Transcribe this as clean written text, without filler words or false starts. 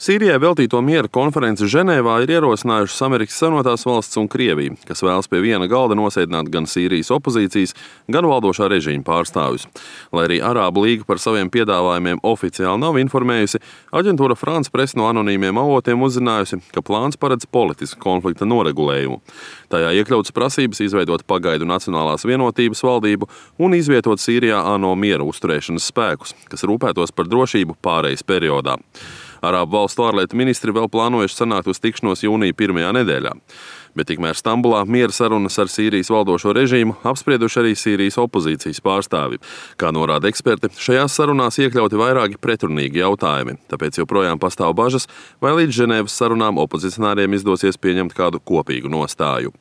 Sīrijai veltīto miera konferenci Ženēvā ir ierosinājušas Amerikas Savienotās valstis un Krievija, kas vēlas pie viena galda nosēdināt gan Sīrijas opozīcijas, gan valdošā režīma pārstāvjus. Lai arī Arābu līga par saviem piedāvājumiem oficiāli nav informējusi, aģentūra France Press no anonīmiem avotiem uzzinājusi, ka plāns paredz politisku konflikta noregulējumu. Tajā iekļautas prasības izveidot pagaidu Nacionālās vienotības valdību un izvietot Sīrijā ANO miera uzturēšanas spēkus, kas rūpētos par drošību pārejas periodā. Arābu valstu ārlietu ministri vēl plānojuši sanākt uz tikšanos jūnija pirmajā nedēļā. Bet tikmēr Stambulā miera sarunas ar Sīrijas valdošo režīmu apsprieduši arī Sīrijas opozīcijas pārstāvi. Kā norāda eksperti, šajās sarunās iekļauti vairāki pretrunīgi jautājumi, tāpēc joprojām pastāv bažas, vai līdz Ženēvas sarunām opozicionāriem izdosies pieņemt kādu kopīgu nostāju.